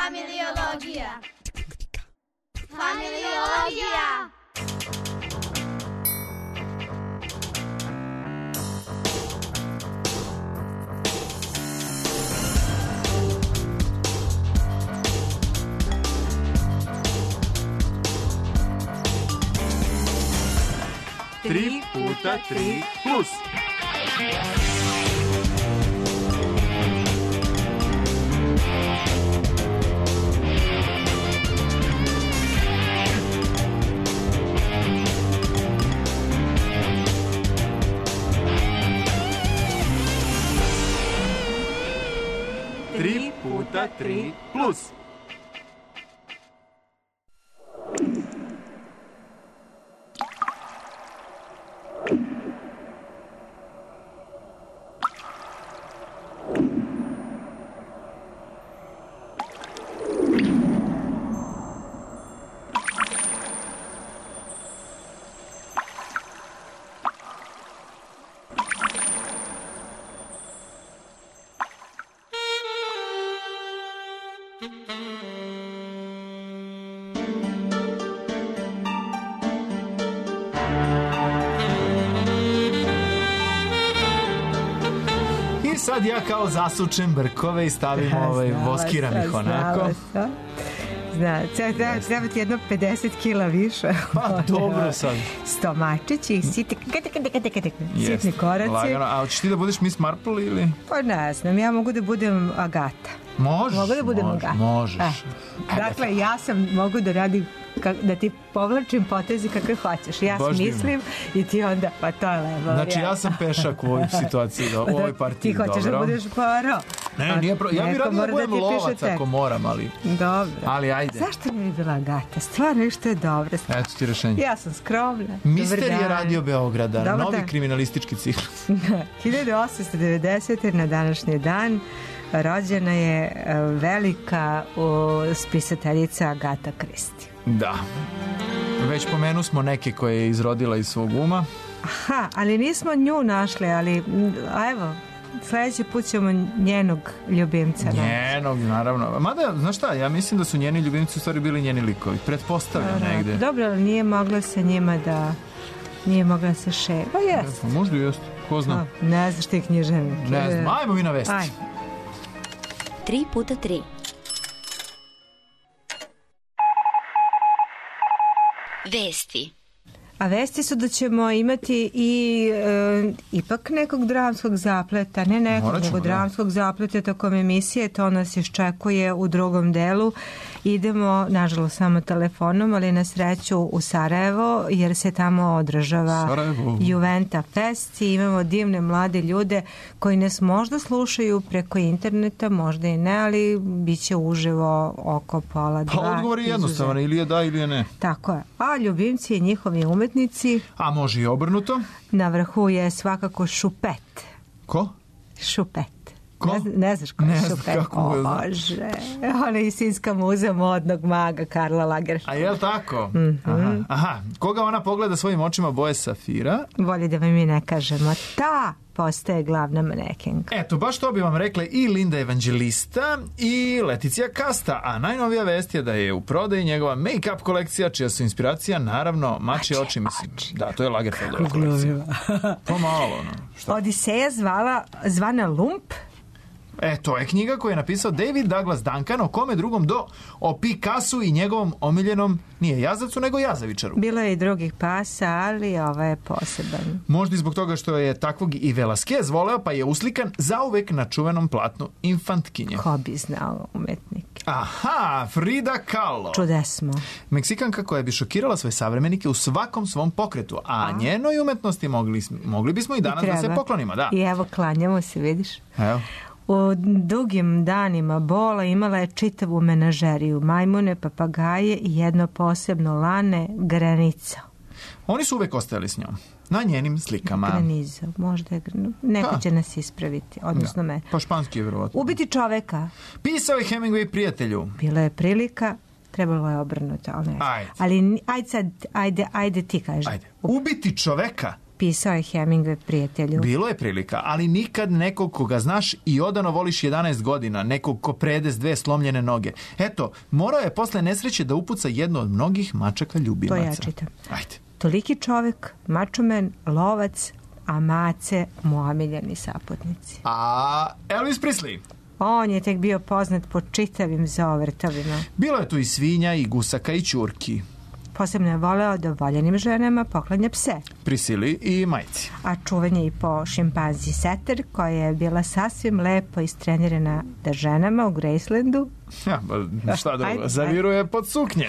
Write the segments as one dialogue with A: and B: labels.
A: Familiologija. Familiologija.
B: Tri puta tri plus. Tri puta tri plus. Sad ja kao zasučem brkove i stavim voskiram ih onako.
C: Treba ti jedno 50 kila više.
B: Pa dobro sad.
C: Stomačići, sitni koraci.
B: Lagano. A hoćeš ti da budeš Miss Marple ili?
C: Pa ne znam, ja mogu da budem Agata.
B: Možeš.
C: Mogu da budem Agata.
B: Možeš.
C: Dakle, ja sam mogu da radim, da ti povlačim potezi kakve hoćeš. Ja smislim i ti onda, pa to je lepo.
B: Znači ja sam pešak u ovoj situaciji, u ovoj partiji.
C: Ti hoćeš da budeš Poirot.
B: Ne, nije ja bih radio da budem lovac ako moram, ali...
C: Dobro.
B: Ali ajde.
C: Zašto ne bi bila Agata? Stvarno što je dobro.
B: Eto ti rešenje.
C: Ja sam skromna.
B: Misterije Radio Beograda, novi kriminalistički ciklus.
C: 1890. na današnji dan rođena je velika spisateljica Agata Christie.
B: Da. Već pomenu smo neke koje je izrodila iz svog uma.
C: Aha, ali nismo nju našli, ali evo, sljedeći put ćemo njenog ljubimca.
B: Njenog, naravno. Mada, znaš šta, ja mislim da su njeni ljubimci u stvari bili njeni likovi. Pretpostavljam negde.
C: Dobro, ali nije mogla sa njima da... Nije mogla da se ševa. Pa jest.
B: Možda jest, ko zna.
C: Ne znaš ti književnik.
B: Ne znam, ajmo mi na vesti.
A: 3 puta 3. Vesti.
C: A vesti su da ćemo imati i ipak nekog dramskog zapleta, ne nekog, nego dramskog zapleta tokom emisije, to nas iščekuje u drugom delu. Idemo, nažalost, samo telefonom, ali na sreću u Sarajevo, jer se tamo održava Juventa Fest i imamo divne mlade ljude koji nas možda slušaju preko interneta, možda i ne, ali bit će uživo oko 1:30.
B: Pa odgovor je jednostavan, ili je da ili je ne.
C: Tako je. A ljubimci i njihovi umetnici.
B: A može i obrnuto.
C: Na vrhu je svakako Šupet.
B: Ko?
C: Šupet.
B: Ko?
C: Ne znaš ko je Šupet?
B: Kako
C: Bože. Ona je sinska muza modnog maga Karla Lagerfelda.
B: A je li tako? Aha. Koga ona pogleda svojim očima boje safira?
C: Bolje da vam mi ne kažemo. Ta postaje glavna manekenka.
B: Eto, baš to bi vam rekle i Linda Evangelista i Leticija Kasta, a najnovija vest je da je u prodaji njegova make-up kolekcija, čija su inspiracija, naravno, mačje oči, mislim. Da, to je Lagerfeldova kolekcija. Pomalo, no.
C: Odiseja zvana Lump.
B: To je knjiga koju je napisao David Douglas Duncan, o kome drugom o Picassu i njegovom omiljenom, nije jazavcu, nego jazavičaru.
C: Bilo je i drugih pasa, ali ovaj je poseban.
B: Možda i zbog toga što je takvog i Velasquez voleo, pa je uslikan zauvek na čuvenom platnu Infantkinje.
C: Ko bi znao umetnik?
B: Aha, Frida Kahlo.
C: Čudesmo.
B: Meksikanka koja bi šokirala svoje savremenike u svakom svom pokretu, a njenoj umetnosti mogli bismo i danas da se poklonimo. Da.
C: I evo, klanjamo se, vidiš?
B: Evo.
C: U dugim danima bola imala je čitavu menažeriju, majmune, papagaje i jedno posebno lane, Granica.
B: Oni su uvek ostajali s njom, na njenim slikama.
C: Graniza, možda je neko će nas ispraviti, odnosno me.
B: Pa španski je vjerovatno.
C: Ubiti čoveka.
B: Pisao je Hemingway prijatelju.
C: Bila je prilika, trebalo je obrnuto, ali ne. Ali ajde ti kaži.
B: Ubiti čoveka.
C: pisao je Hemingway prijatelju.
B: Bilo je prilika, ali nikad nekog koga znaš i odano voliš 11 godina, nekog ko prede s 2 slomljene noge. Eto, morao je posle nesreće da upuca jedno od mnogih mačaka ljubimaca.
C: To ja čitam.
B: Ajde.
C: Toliki čovek, mačomen, lovac, a mace mu omiljeni saputnici.
B: A Elvis Presley?
C: On je tek bio poznat po čitavim zovrtovima.
B: Bilo je tu i svinja, i gusaka, i ćurki.
C: Posebno je voleo da voljenim ženama poklanja pse.
B: Prisili i majci.
C: A čuvan je i po šimpanzi Setter, koja je bila sasvim lepo istrenirana da ženama u Gracelandu.
B: Ja, šta drugo, zaviruje pod suknje.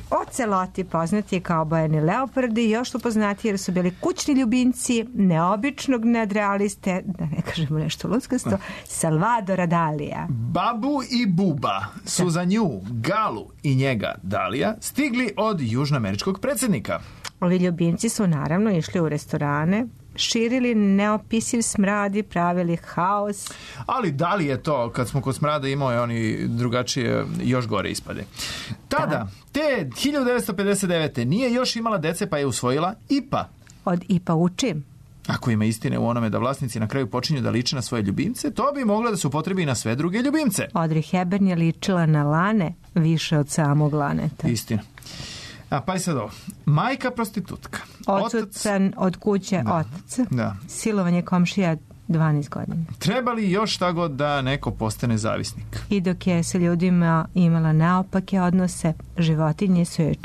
C: Oceloti, poznati kao obojeni leopardi, još su poznati jer su bili kućni ljubimci neobičnog nadrealiste, da ne kažemo nešto luckasto, Salvadora Dalija.
B: Babu i Buba su za nju, Galu i njega, Dalija, stigli od južnoameričkog predsjednika.
C: Ovi ljubimci su naravno išli u restorane, širili neopisiv smrad i pravili haos.
B: Ali da li je to, kad smo kod smrada imao je oni drugačije, još gore ispade. Tada, te 1959. nije još imala dece pa je usvojila Ipa.
C: Od Ipa učim.
B: Ako ima istine u onome da vlasnici na kraju počinju da liče na svoje ljubimce, to bi moglo da se upotrebi i na sve druge ljubimce.
C: Audrey Hepburn je ličila na lane više od samog laneta.
B: Istina. A pa i sad ovo. Majka prostitutka.
C: Odsutan od kuće otac.
B: Da.
C: Silovanje komšija 12 godina.
B: Treba li još šta god da neko postane zavisnik? I
C: dok je sa ljudima imala naopake odnose, životinje su je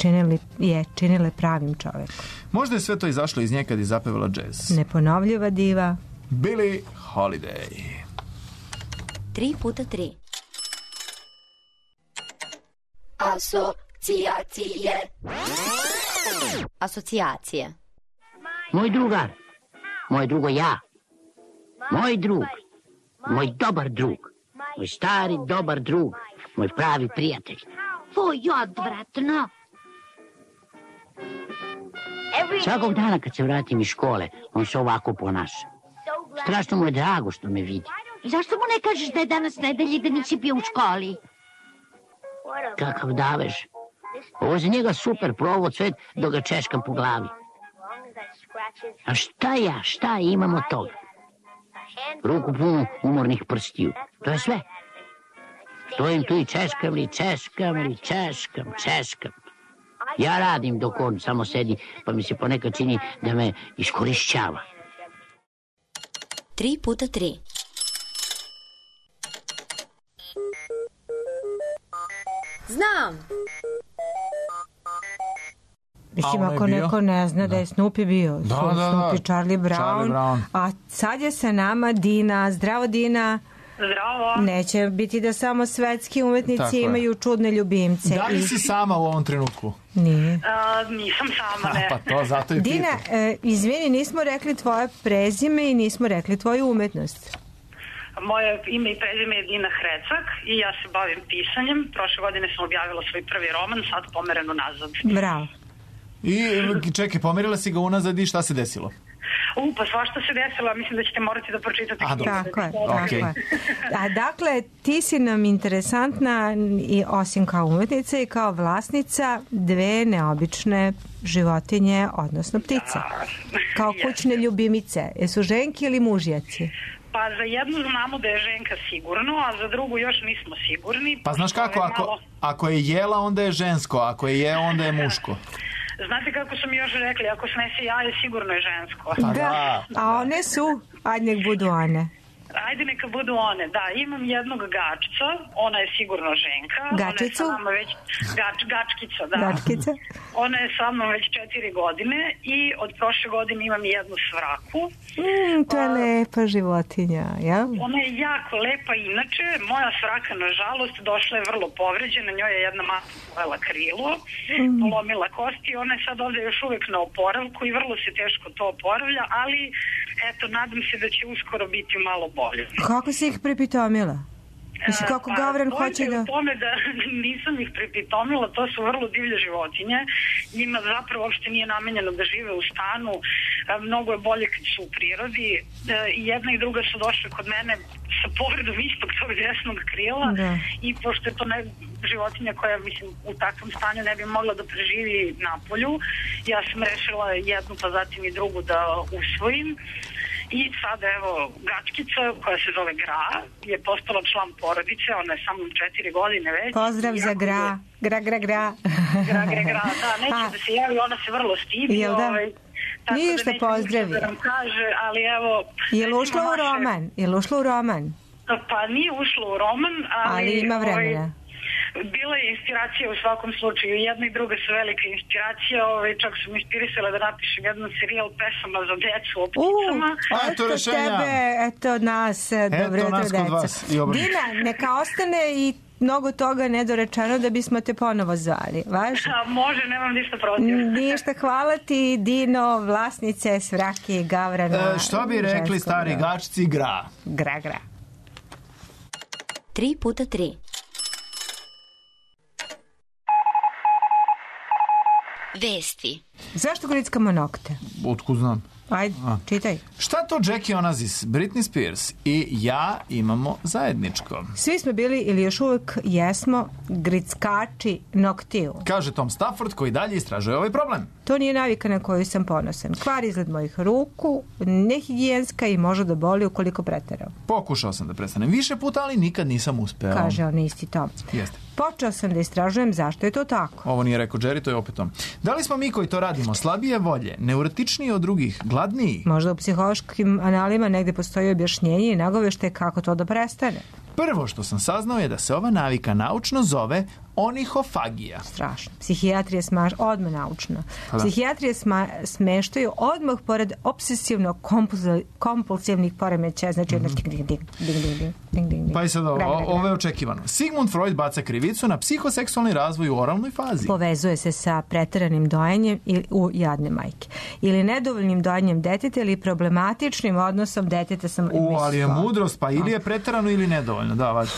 C: činile pravim čovekom.
B: Možda je sve to izašlo iz nje kad je zapevala džez.
C: Neponovljiva diva
B: Billie Holiday.
A: 3x3. Asocijacije.
D: Moj drugar, moj drugo ja, moj drug, moj dobar drug, moj stari dobar drug, moj pravi prijatelj.
E: Tvoj odvratno.
D: Svakog dana kad se vratim iz škole, on se ovako ponaša. Strašno mu je drago što me vidi.
E: Zašto mu ne kažeš da je danas nedelji da nisi bio u školi?
D: Kakav davež. Ovo je za njega super provod svet dok ga češkam po glavi. A šta imam od toga? Ruku punu umornih prstiju. To je sve. Stojim tu i češkam. Ja radim dok on samo sedi, pa mi se ponekad čini da me iskorišćava.
A: 3x3. Znam.
C: Mislim, ako neko ne zna da je Snoopy bio. Snoopy, Charlie Brown. A sad je sa nama Dina. Zdravo, Dina.
F: Zdravo.
C: Neće biti da samo svetski umetnici imaju čudne ljubimce.
B: Da li si sama u ovom trenutku?
C: Nije.
F: Nisam sama, ne.
B: Pa to zato i
C: Dina, izvini, nismo rekli tvoje prezime i nismo rekli tvoju umetnost.
F: Moje ime i prezime je Dina Hrecak i ja se bavim pisanjem. Prošle godine sam objavila svoj prvi roman, sad pomereno nazad.
C: Bravo.
B: I čekaj, pomerila si ga unazad i šta se desilo?
F: Pa svašta se desilo, mislim da ćete morati da pročitate.
C: Tako je. A dakle, ti si nam interesantna i osim kao umetnica i kao vlasnica dve neobične životinje, odnosno ptice. Kao kućne ljubimice. Jesu ženke ili mužjaci?
F: Pa za jednu znamo da je ženka sigurno, a za drugu još nismo sigurni.
B: Pa znaš kako, ako je jela, onda je žensko, ako je onda je muško.
F: Znate kako su mi još rekli, ako snese jaje, sigurno je žensko.
C: Da, a one su, ajde nek budu one.
F: Ajde neka budu one, da, imam jednog gačca, ona je sigurno ženka.
C: Gačicu?
F: Gačkica, da.
C: Gačkica?
F: Ona je sa mnom već 4 godine i od prošle godine imam jednu svraku.
C: To je lepa životinja, ja?
F: Ona je jako lepa inače, moja svraka nažalost došla je vrlo povređena, njoj je jedna masa pojela krilo, polomila kosti i ona je sad ovdje još uvijek na oporavku i vrlo se teško to oporavlja, ali eto, nadam se da će uskoro biti malo bolje.
C: Kako si ih prepitomila? Mislim, kako Gavran hoće da...
F: U tome da nisam ih pripitomila, to su vrlo divlje životinje. Njima zapravo uopšte nije namenjeno da žive u stanu. Mnogo je bolje kad su u prirodi. I jedna i druga su došle kod mene sa povredom istog tog desnog krila. I pošto je to životinja koja, mislim, u takvom stanju ne bi mogla da preživi napolju, ja sam rešila jednu pa zatim i drugu da usvojim. I sada, evo, Gačkica, koja se zove Gra, je postala član porodice, ona je sa mnom 4 godine već.
C: Pozdrav za Gra. Gra.
F: Da, neće da se javi, ona se vrlo stidi.
C: Jel da? Ništa, pozdravi.
F: Da nam kaže, ali evo...
C: Je li ušla u roman?
F: Pa nije ušla u roman,
C: ali ima vremena.
F: Bila je inspiracija u svakom slučaju. Jedna i druga su velika inspiracija. Čak su mi inspirisale da napišem jedan serijal pesama za decu o pticama.
B: Eto rešenja.
C: Eto nas, dobro jutro deca. Dina, neka ostane i mnogo toga nedorečeno da bismo te ponovo zvali. Važi?
F: Može, nemam ništa protiv.
C: Ništa, hvala ti, Dino, vlasnice Svrake i Gavrana.
B: Što bi rekli stari Gačci, Gra.
C: Gra.
A: 3x3. Vesti.
C: Zašto grickamo nokte?
B: Otkud znam.
C: Ajde, čitaj.
B: Šta to Jackie Onassis, Britney Spears i ja imamo zajedničko?
C: Svi smo bili ili još uvijek jesmo grickači noktiju.
B: Kaže Tom Stafford koji dalje istražuje ovaj problem.
C: To nije navika na koju sam ponosan. Kvari izgled mojih ruku, nehigijenska i može da boli ukoliko preterao.
B: Pokušao sam da prestanem više puta, ali nikad nisam uspeo.
C: Kaže on isti Tom.
B: Jeste.
C: Počeo sam da istražujem zašto je to tako.
B: Ovo nije rekao Jerry, to je opet on. Da li smo mi koji to radimo slabije volje, neurotičniji od drugih, gladniji?
C: Možda u psihološkim analima negde postoji objašnjenje i nagovešte kako to da prestane.
B: Prvo što sam saznao je da se ova navika naučno zove onihofagija.
C: Strašno. Psihijatrija odmah naučno. Psihijatrije smeštaju odmah pored obsesivno-kompulsivnih poremećaja. Znači, ding.
B: Pa i sad ovo je očekivano. Sigmund Freud baca krivicu na psihoseksualni razvoj u oralnoj fazi.
C: Povezuje se sa preteranim dojenjem u jadne majke. Ili nedovoljnim dojenjem deteta ili problematičnim odnosom deteta sa...
B: ali je mudrost, pa ili je preterano ili nedovoljno. Da, važno.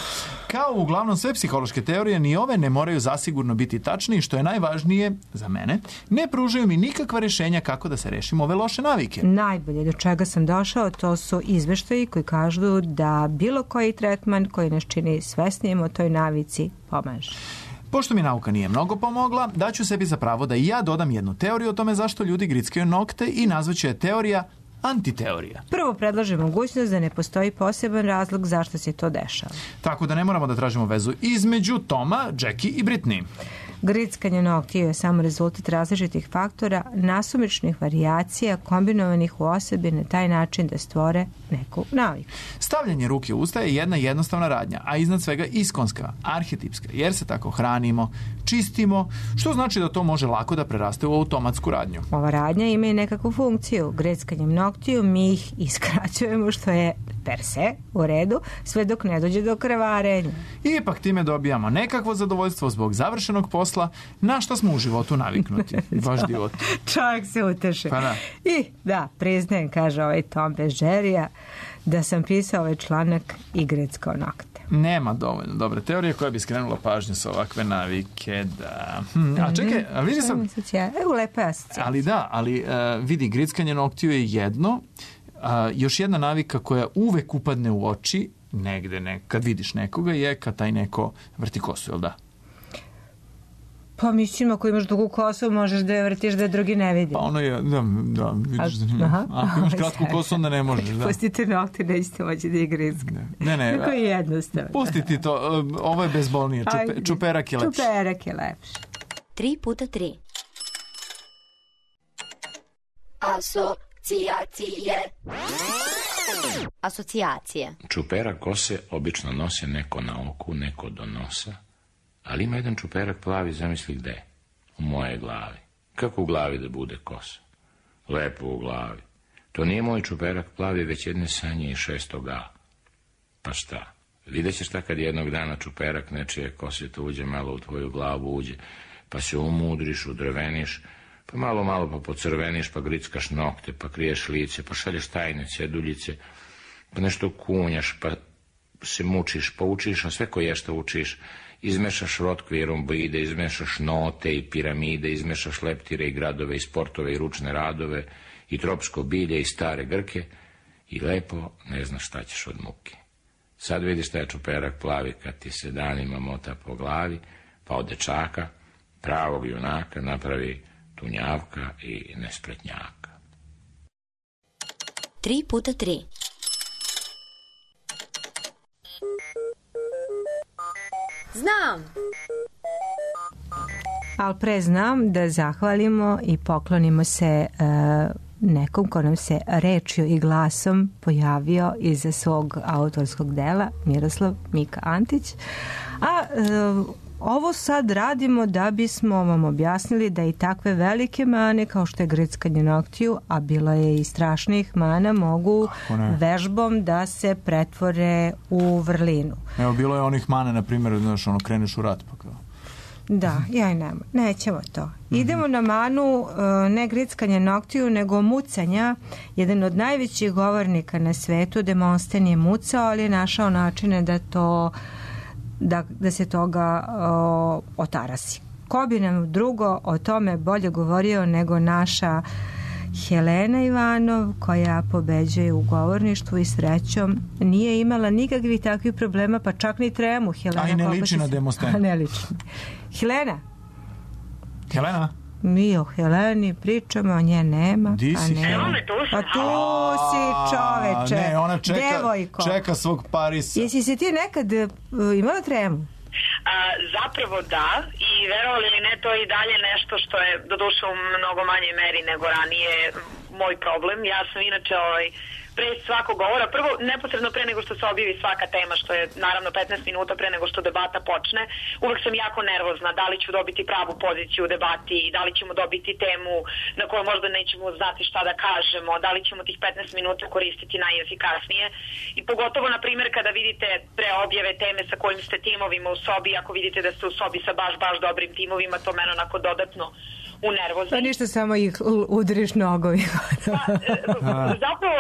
B: Kao uglavnom sve psihološke teorije, ni ove ne moraju zasigurno biti tačne i što je najvažnije za mene, ne pružaju mi nikakva rješenja kako da se rešimo ove loše navike.
C: Najbolje do čega sam došao, to su izveštaji koji kažu da bilo koji tretman koji nas čini svesnijim o toj navici pomaže.
B: Pošto mi nauka nije mnogo pomogla, daću sebi za pravo da i ja dodam jednu teoriju o tome zašto ljudi grickaju nokte i nazvaću je teorija antiteorija.
C: Prvo predlažem mogućnost da ne postoji poseban razlog zašto se to dešava.
B: Tako da ne moramo da tražimo vezu između Toma, Jackie i Britney.
C: Grickanje noktiju je samo rezultat različitih faktora, nasumičnih varijacija kombinovanih u osobi na taj način da stvore neku naviku.
B: Stavljanje ruke u usta je jedna jednostavna radnja, a iznad svega iskonska, arhetipska, jer se tako hranimo, čistimo, što znači da to može lako da preraste u automatsku radnju.
C: Ova radnja ima i nekakvu funkciju. Grickanjem noktiju mi ih iskraćujemo, što je per se u redu, sve dok ne dođe do krvarenja.
B: Ipak time dobijamo nekakvo zadovoljstvo zbog završenog posla, na što smo u životu naviknuti. Baš divot.
C: Čovjek se uteše.
B: Pa da.
C: I da, priznajem, kaže ovaj Tom bez Jerryja, da sam pisao ovaj članak i grickao nokte.
B: Nema dovoljno dobre teorije koja bi skrenula pažnju sa ovakve navike, da... A čekaj, a vidi sam...
C: Lepa je asocijacija.
B: Ali da, vidi, grickanje noktiju je jedno, još jedna navika koja uvek upadne u oči, negde, kad vidiš nekoga, je kad taj neko vrti kosu, jel da?
C: Pa mislim, ako imaš dugu kosu, možeš da je vrtiš da je drugi ne vidi.
B: Pa ono je, da, vidiš da ako imaš kratku kosu, onda ne možeš, da.
C: Pustite nokte, nećete moći da je grickate.
B: Ne.
C: Tako je jednostavno.
B: Pustiti to, ovo je bezbolnije, čuperak je lepši.
C: Čuperak je lepši.
A: 3x3. Asocijacije.
G: Čuperak kose obično nose neko na oku, neko do nosa, ali ima jedan čuperak plavi, zamisli gde? U moje glavi. Kako u glavi da bude kosa? Lepo u glavi. To nije moj čuperak plavi, već jedne sanje i 6. A. Pa šta? Vidjet ćeš šta kad jednog dana čuperak nečije kose to uđe malo u tvoju glavu, uđe, pa se umudriš, udrveniš, pa malo pa pocrveniš, pa grickaš nokte, pa kriješ lice, pa šalješ tajne ceduljice, pa nešto kunjaš, pa se mučiš, poučiš, a sve koje što učiš, izmešaš rotkviromboide, izmešaš note i piramide, izmešaš leptire i gradove i sportove i ručne radove i tropsko bilje i stare grke i lepo ne znaš šta ćeš od muke. Sad vidiš taj čuperak plavi kad ti se danima mota po glavi, pa od dečaka, pravog junaka, napravi tunjavka i nespretnjaka.
A: 3x3. Znam!
C: Ali pre znam da zahvalimo i poklonimo se nekom ko nam se rečju i glasom pojavio iza svog autorskog dela, Miroslav Mika Antić. A ovo sad radimo da bismo vam objasnili da i takve velike mane kao što je grickanje noktiju, a bilo je i strašnih mana, mogu vežbom da se pretvore u vrlinu.
B: Evo, bilo je onih mana, na primjer, znaš, ono, kreneš u rat, pa kao.
C: Da, ja i nema. Nećemo to. Idemo na manu ne grickanje noktiju, nego mucanja. Jedan od najvećih govornika na svetu, Demosten, je mucao, ali je našao načine da to da se toga otarasi. Ko bi nam drugo o tome bolje govorio nego naša Helena Ivanov, koja pobeđuje u govorništvu i srećom nije imala nikakvih takvih problema, pa čak ni tremu. Helena,
B: a i ne liči na Demostena.
C: Ne liči. Helena? Mi o Heleni pričamo, a nje nema.
B: Di si Helena?
C: Pa tu si, čoveče.
B: Ne, ona
C: devojko.
B: Čeka svog Parisa.
C: Jesi se ti nekad imala tremu?
F: Zapravo da, i verovali ili ne, to je i dalje nešto što je doduše u mnogo manjoj meri nego ranije moj problem. Ja sam inače pre svakog govora, prvo neposredno pre nego što se objavi svaka tema, što je naravno 15 minuta pre nego što debata počne, uvek sam jako nervozna da li ću dobiti pravu poziciju u debati, da li ćemo dobiti temu na kojoj možda nećemo znati šta da kažemo, da li ćemo tih 15 minuta koristiti najefikasnije. I pogotovo, na primjer, kada vidite pre objave teme sa kojim ste timovima u sobi, ako vidite da ste u sobi sa baš dobrim timovima, to mene onako dodatno unervozi.
C: Pa ništa, samo ih udriš nogovima.
F: Zapravo,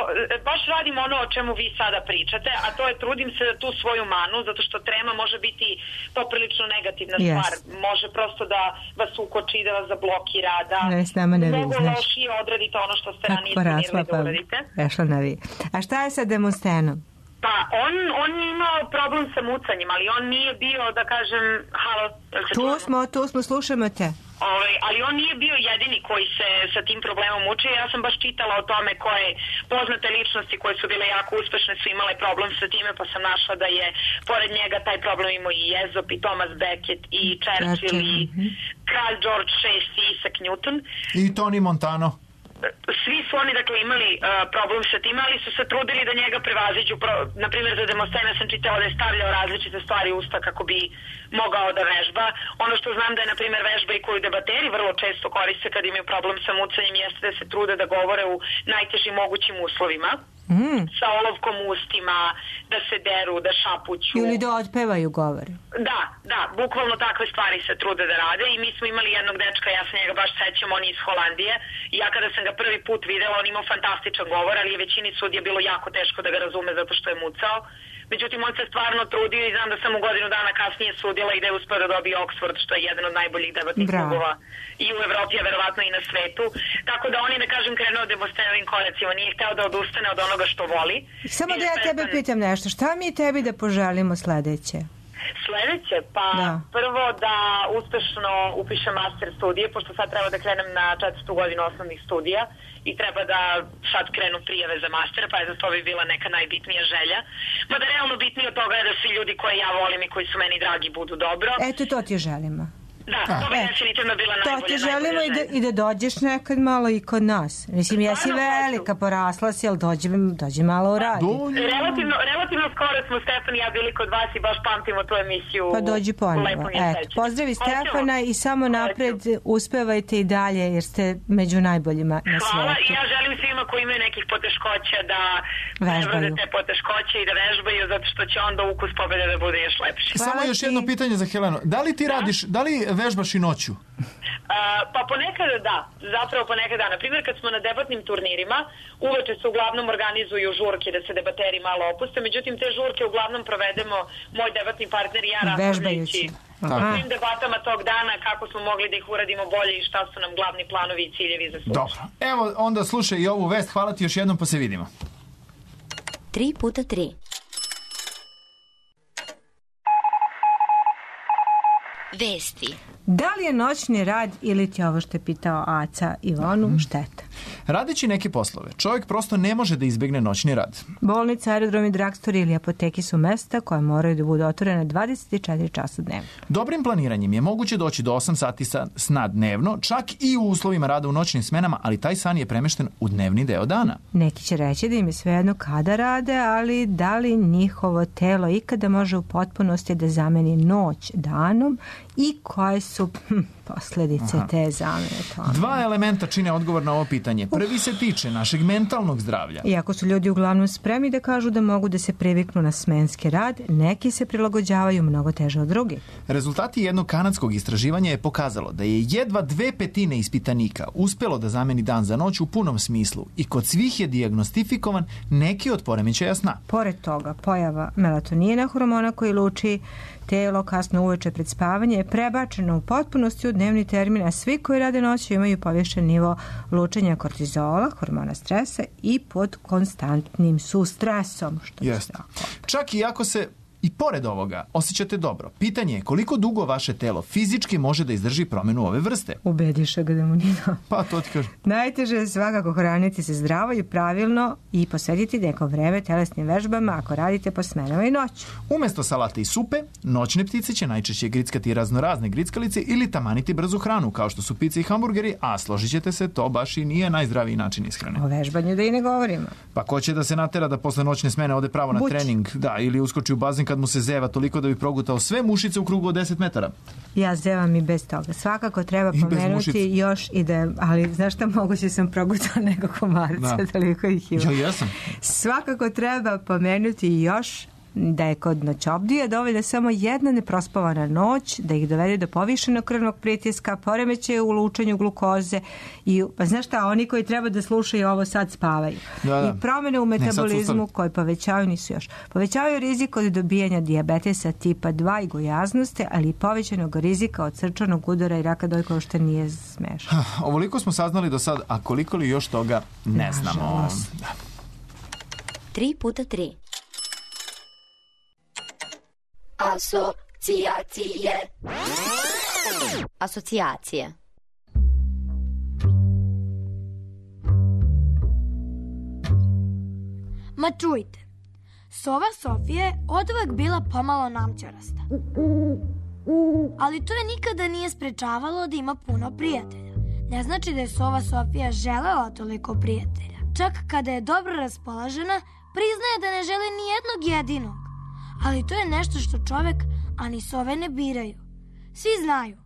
F: baš radim ono o čemu vi sada pričate, a to je trudim se da tu svoju manu, zato što trema može biti poprilično negativna stvar. Može prosto da vas ukoči, da vas zablokira, da mnogo lošije odradite ono što ste ranije planirali da uradite.
C: Prešla na vi. A šta je sa Demostenom?
F: Pa, on je imao problem sa mucanjem, ali on nije bio, da kažem, halo,
C: tu smo, slušamo te.
F: Ali on nije bio jedini koji se sa tim problemom mučio. Ja sam baš čitala o tome koje poznate ličnosti koje su bile jako uspešne su imale problem sa time, pa sam našla da je pored njega taj problem imao i Ezop i Thomas Becket i Churchill i kralj George VI i Isaac Newton.
B: I Tony Montano.
F: Svi su oni, dakle, imali problem sa tim, ali su se trudili da njega prevaziđu. Na primjer, za Demostena sam čitala da je stavljao različite stvari u usta kako bi mogao da vežba. Ono što znam da je, na primjer, vežba i koju debateri vrlo često koriste kad imaju problem sa mucanjem jeste da se trude da govore u najtežim mogućim uslovima. Sa olovkom u ustima, da se deru, da šapuću.
C: Ili da otpevaju govore.
F: Da, bukvalno takve stvari se trude da rade i mi smo imali jednog dečka, ja se njega baš sećam, on je iz Holandije i ja kada sam ga prvi put videla, on imao fantastičan govor, ali je većini sudija bilo jako teško da ga razume zato što je mucao. Međutim, on se stvarno trudio i znam da sam u godinu dana kasnije sudila i da je uspio da dobije Oxford, što je jedan od najboljih debatnih klubova i u Evropi, a verovatno i na svetu. Tako da on je, da kažem, krenuo Demostenovim koracima. Nije hteo da odustane od onoga što voli.
C: Samo da ja tebe pitam nešto. Šta mi tebi da poželimo sledeće?
F: Sledeće? Pa prvo da uspešno upišem master studije, pošto sad treba da krenem na 4. godinu osnovnih studija i treba da sad krenu prijave za master, pa je za to bi bila neka najbitnija želja. Mada realno bitnije od toga je da svi ljudi koje ja volim i koji su meni dragi budu dobro.
C: Eto, to ti želimo.
F: Da, to bi definitivno bila najbolja.
C: To ti želimo i da dođeš nekad malo i kod nas. Mislim, jesi velika, porasla si, ali dođi malo u radi.
F: Relativno skoro smo Stefan i ja bili kod vas i baš pamtimo tu emisiju.
C: Pa dođi ponovo. Pozdravi Stefana i samo napred uspevajte i dalje jer ste među najboljima na svijetu.
F: Hvala i ja želim svima koji imaju nekih poteškoća da prebrode te poteškoće i da vežbaju zato što će onda ukus pobede da bude još lepši.
B: Samo još jedno pitanje za Helenu. Da li ti radiš, da li vežbaš i noću?
H: Pa ponekad da, zapravo ponekad da. Naprimjer, kad smo na debatnim turnirima, uveče se uglavnom organizuju žurke da se debateri malo opuste, međutim te žurke uglavnom provedemo moj debatni partner i ja raspravljajući o svim debatama tog dana, kako smo mogli da ih uradimo bolje i šta su nam glavni planovi i ciljevi za slučaj.
B: Dobro, evo onda slušaj i ovu vest, hvala ti još jednom, pa se vidimo.
A: 3x3. Vesti.
C: Da li je noćni rad ili ti ovo što je pitao Aca Ivonu šteta?
B: Radeći neke poslove, čovjek prosto ne može da izbegne noćni rad.
C: Bolnice, aerodromi, dragstori ili apoteki su mesta koje moraju da budu otvorene 24 časa dnevno.
B: Dobrim planiranjem je moguće doći do 8 sati sna dnevno, čak i u uslovima rada u noćnim smenama, ali taj san je premešten u dnevni deo dana.
C: Neki će reći da im je svejedno kada rade, ali da li njihovo telo ikada može u potpunosti da zameni noć danom i koje su posljedice te zamene tome?
B: Dva elementa čine odgovor na ovo pitanje. Prvi se tiče našeg mentalnog zdravlja.
C: Iako su ljudi uglavnom spremni da kažu da mogu da se priviknu na smenski rad, neki se prilagođavaju mnogo teže od drugih.
B: Rezultati jednog kanadskog istraživanja je pokazalo da je jedva 2/5 ispitanika uspelo da zameni dan za noć u punom smislu i kod svih je dijagnostifikovan neki od poremećaja sna.
C: Pored toga, pojava melatonina, hormona koji luči telo kasno uveče pred spavanje, je prebačeno u potpunosti u dnevni termin, a svi koji rade noću imaju povišen nivo lučenja kortizola, hormona stresa i pod konstantnim su stresom.
B: Jeste. Čak i ako se i pored ovoga osjećate dobro, pitanje je koliko dugo vaše telo fizički može da izdrži promjenu ove vrste.
C: Ubediše ga da mu nije.
B: Pa to ti kažem.
C: Najteže je svakako hraniti se zdravo i pravilno i posvetiti neko vreme telesnim vežbama ako radite po smenama i noću.
B: Umjesto salate i supe, noćne ptice će najčešće grickati raznorazne grickalice ili tamaniti brzu hranu, kao što su pice i hamburgeri, a složit ćete se, to baš i nije najzdraviji način ishrane.
C: O vežbanju da i ne govorimo.
B: Pa ko će da se natera da posle noćne smene ode pravo na trening, da, ili uskoči u bazen kad mu se zeva toliko da bi progutao sve mušice u krugu od 10 metara.
C: Ja zevam i bez toga. Svakako treba pomenuti još i da, ali znaš šta, moguće sam progutao nego komarca, toliko ih ima.
B: Ja jesam.
C: Svakako treba pomenuti još da je kod noćobdija dovoljna samo jedna neprospavana noć da ih dovede do povišenog krvnog pritiska, poremećaja u lučenju glukoze i, pa znaš šta, oni koji treba da slušaju ovo sad spavaju. Da. I promjene u metabolizmu koje povećavaju rizik od dobijanja dijabetesa tipa 2 i gojaznosti, ali i povećanog rizika od srčanog udara i raka dojke, što nije smešno.
B: Ovoliko smo saznali do sad, a koliko li još toga ne znamo.
A: 3x3. Asocijacije.
I: Ma čujte, sova Sofija je oduvek bila pomalo namćarasta. Ali to je nikada nije sprečavalo da ima puno prijatelja. Ne znači da je sova Sofija želela toliko prijatelja. Čak kada je dobro raspoložena, priznaje da ne želi ni jednog jedinog. Ali to je nešto što čovek, a ni sove ne biraju. Svi znaju,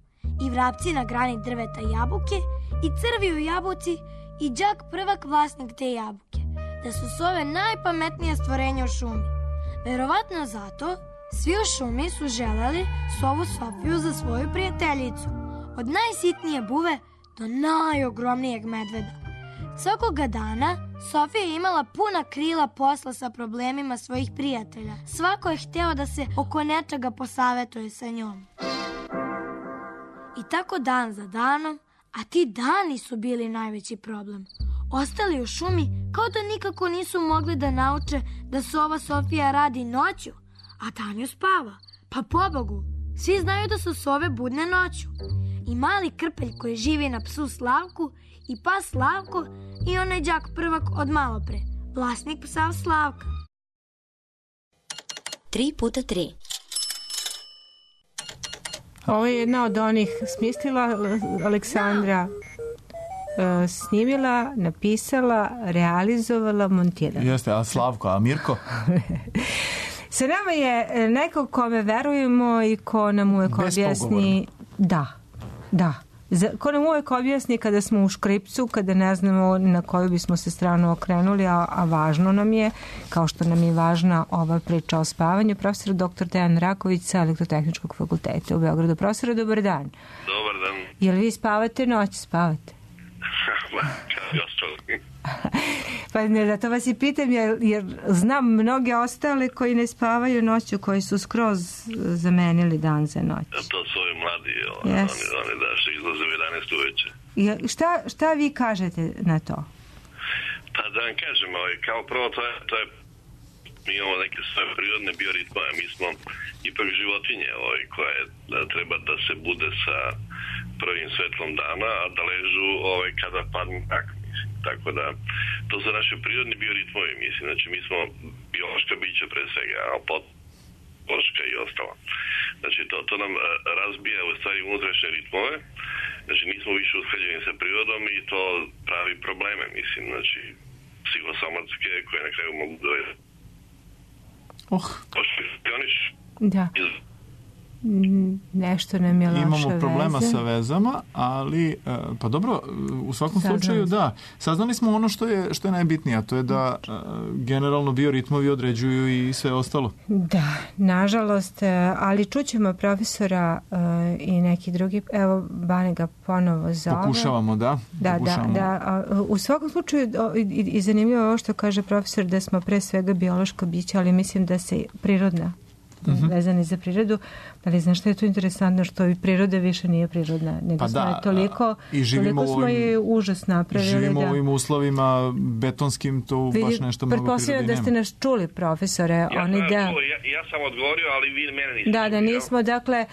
I: i vrapci na grani drveta jabuke, i crvi u jabuci, i đak prvak vlasnik te jabuke, da su sove najpametnije stvorenje u šumi. Verovatno zato, svi u šumi su želeli sovu Sofiju za svoju prijateljicu, od najsitnije buve do najogromnijeg medveda. Svakoga dana Sofija je imala puna krila posla sa problemima svojih prijatelja. Svako je hteo da se oko nečega posavetuje sa njom. I tako dan za danom, a ti dani su bili najveći problem. Ostali u šumi kao da nikako nisu mogli da nauče da sova Sofija radi noću, a danju spava. Pa pobogu, svi znaju da su sove budne noću. I mali krpelj koji živi na psu Slavku, i pas Slavko, i onaj đak prvak od malopre, vlasnik psa Slavka.
A: 3x3.
C: Ovo je jedna od onih smislila Aleksandra, snimila, napisala, realizovala, montirala.
B: Jeste, a Slavko, a Mirko?
C: Sa nama je neko kome verujemo i ko nam uvek objasni... Da. Ko nam uvek objasni kada smo u škripcu, kada ne znamo na koju bismo se stranu okrenuli, a važno nam je, kao što nam je važna ova priča o spavanju, profesor dr. Dejan Raković sa Elektrotehničkog fakulteta u Beogradu. Profesor, dobar dan.
J: Dobar dan.
C: Jel vi spavate noć? Spavate?
J: Kao i ostali.
C: Pa ne, zato vas i pitam, jer znam mnoge ostale koji ne spavaju noću, koji su skroz zamenili dan za noć.
J: To su ovi mladi, oni da što izlaze u 11 uveče.
C: Šta vi kažete na to?
J: Pa da vam kažem, kao prvo to je mi imamo neke svoje prirodne bioritme, mi smo ipak životinje koje treba da se bude sa prvim svetlom dana, a da ležu kada padne mrak. Tako da, to su naše prirodni bioritmovi, mislim. Znači, mi smo biološka bića pre svega, a podloška i ostalo. Znači, to nam razbija u stvari unutrašnje ritmove. Znači, nismo više usklađeni sa prirodom i to pravi probleme, mislim. Znači, psihosomatske koje na kraju mogu da
C: Da. Nešto nam je loša veza.
B: Imamo problema sa vezama, ali pa dobro, u svakom slučaju da. Saznali smo ono što je najbitnije, a to je da generalno bioritmovi određuju i sve ostalo.
C: Da, nažalost, ali čućemo profesora i neki drugi, evo Bane ga ponovo zove.
B: Pokušavamo, da.
C: Da. U svakom slučaju i zanimljivo ovo što kaže profesor, da smo pre svega biološko biće, ali mislim da se prirodna vezani za prirodu, ali znaš što je to interesantno, što i priroda više nije prirodna, nego smo toliko smo je užas napravili.
B: Živimo u ovim uslovima betonskim, to baš nešto mnogo prirode nema.
C: Pretpostavljam da ste nas čuli, profesore.
J: Ja sam odgovorio, ali vi mene niste čuli.
C: Da, nismo, dakle,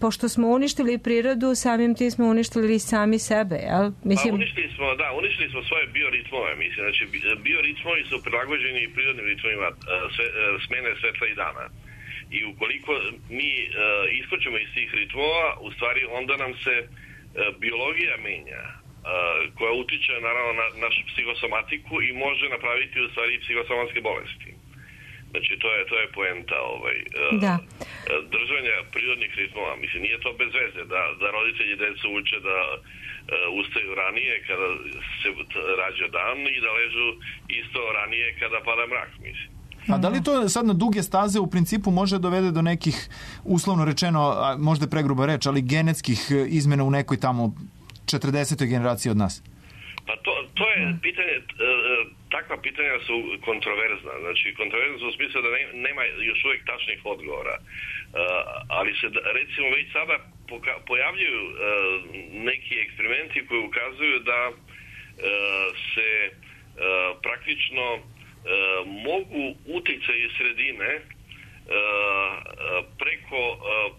C: pošto smo uništili prirodu, samim tim smo uništili sami sebe, jel?
J: Mislim... uništili smo svoje bioritmove, mislim, znači bioritmovi su prilagođeni prirodnim ritmovima smene svetla i dana. I ukoliko mi iskočimo iz tih ritmova, u stvari onda nam se biologija menja, koja utiče naravno na našu psihosomatiku i može napraviti u stvari psihosomatske bolesti. Znači to je poenta držanja prirodnih ritmova. Mislim, nije to bez veze da roditelji decu uče da ustaju ranije kada se rađa dan i da ležu isto ranije kada pada mrak, mislim.
B: A da li to sad na duge staze u principu može dovede do nekih, uslovno rečeno, možda je pregruba reč, ali genetskih izmena u nekoj tamo 40. generaciji od nas?
J: Pa to je pitanje, takva pitanja su kontroverzna. Znači, kontroverzna su u smislu da nema još uvijek tačnih odgovora. Ali se, recimo, već sada pojavljuju neki eksperimenti koji ukazuju da se praktično mogu uticaji sredine preko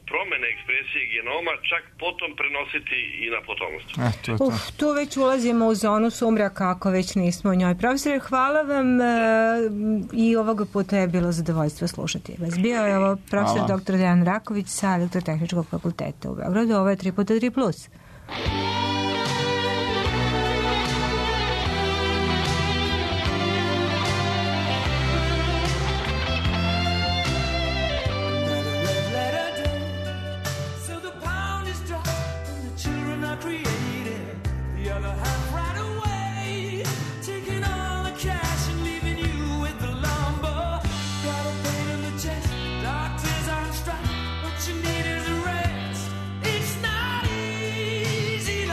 J: promene ekspresije genoma čak potom prenositi i na potomstvo.
C: Tu već ulazimo u zonu sumraka ako već nismo u njoj. Profesore, hvala vam i ovoga puta je bilo zadovoljstvo slušati vas. Bio je ovo profesor dr. Dejan Raković sa Elektrotehničkog fakulteta u Beogradu. Ovo je 3x3+.
K: What you need is a rest. It's not easy.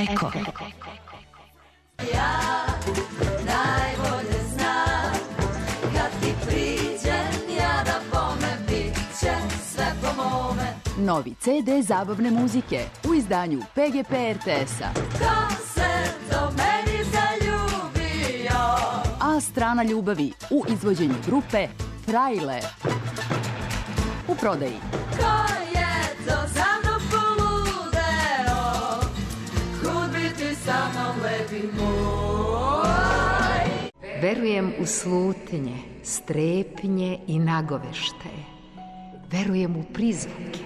K: Eko.
L: Ja najbolje znam kad ti priđem ja da bome bit će sve po mome.
K: Novi CD zabavne muzike u izdanju PGP RTS-a.
L: Ko se do meni zaljubio?
K: A strana ljubavi u izvođenju grupe Frajle. U prodaji.
L: Ko je to za mnom poludeo? Kud bi ti sa mnom lepi moj?
M: Verujem u slutnje, strepnje i nagovešte. Verujem u prizvuke.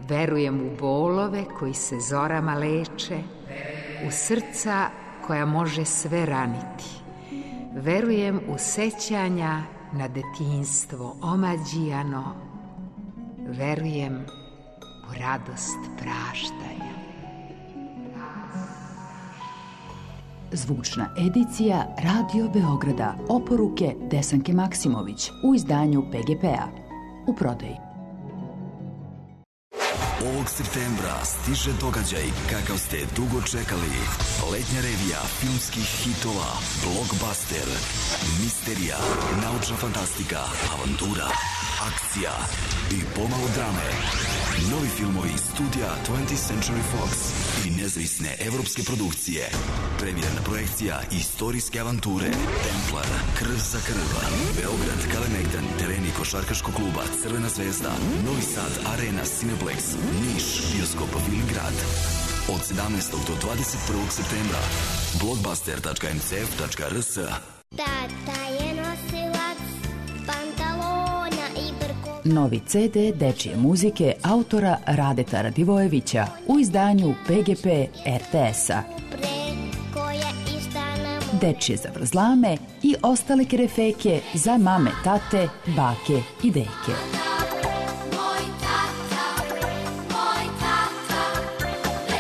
M: Verujem u bolove koji se zorama leče, u srca koja može sve raniti. Verujem u sećanja na detinjstvo omađijano. Verujem u radost praštanja.
K: Zvučna edicija Radio Beograda. Oporuke Desanke Maksimović u izdanju PGP-a. U prodaji.
N: Ovog septembra stiže događaj kakav ste dugo čekali. Letnja revija filmskih hitova, blockbuster, misterija, naučna fantastika, avantura, akcija i pomalo drame. Novi filmovi studija 20th Century Fox i nezavisne evropske produkcije. Premijerna projekcija istorijske avanture Templar, Krv za krv, Beograd, Kalemegdan, tereni košarkaškog kluba Crvena zvezda, Novi Sad, Arena, Cineplex, Niš, bioskop Filmgrad. Od 17. do 21. septembra blockbuster.mcf.rs.
O: Tata je nosilac pantalona i brko.
K: Novi CD dečije muzike autora Radeta Radivojevića u izdanju PGP RTS-a. Dečije zavrzlame i ostale kerefeke za mame, tate, bake i deke.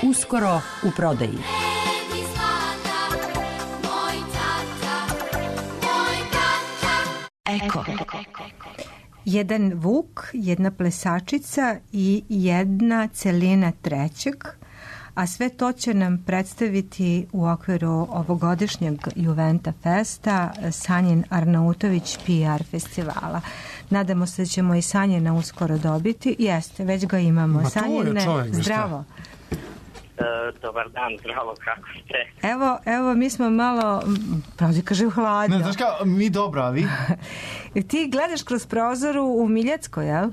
K: Uskoro u prodaji.
M: Eko.
C: Jedan vuk, jedna plesačica i jedna celina trećeg, a sve to će nam predstaviti u okviru ovogodišnjeg Juventa Festa Sanjin Arnautović PR festivala. Nadamo se da ćemo i Sanjina uskoro dobiti. Jeste, već ga imamo. Sanjine, zdravo.
P: Dobar dan, zdravo, kako ste?
C: Evo, mi smo malo, pravdi kažem, hladno.
B: Ne, znaš kao, mi dobro, a vi?
C: Ti gledaš kroz prozoru u Miljacko, jel?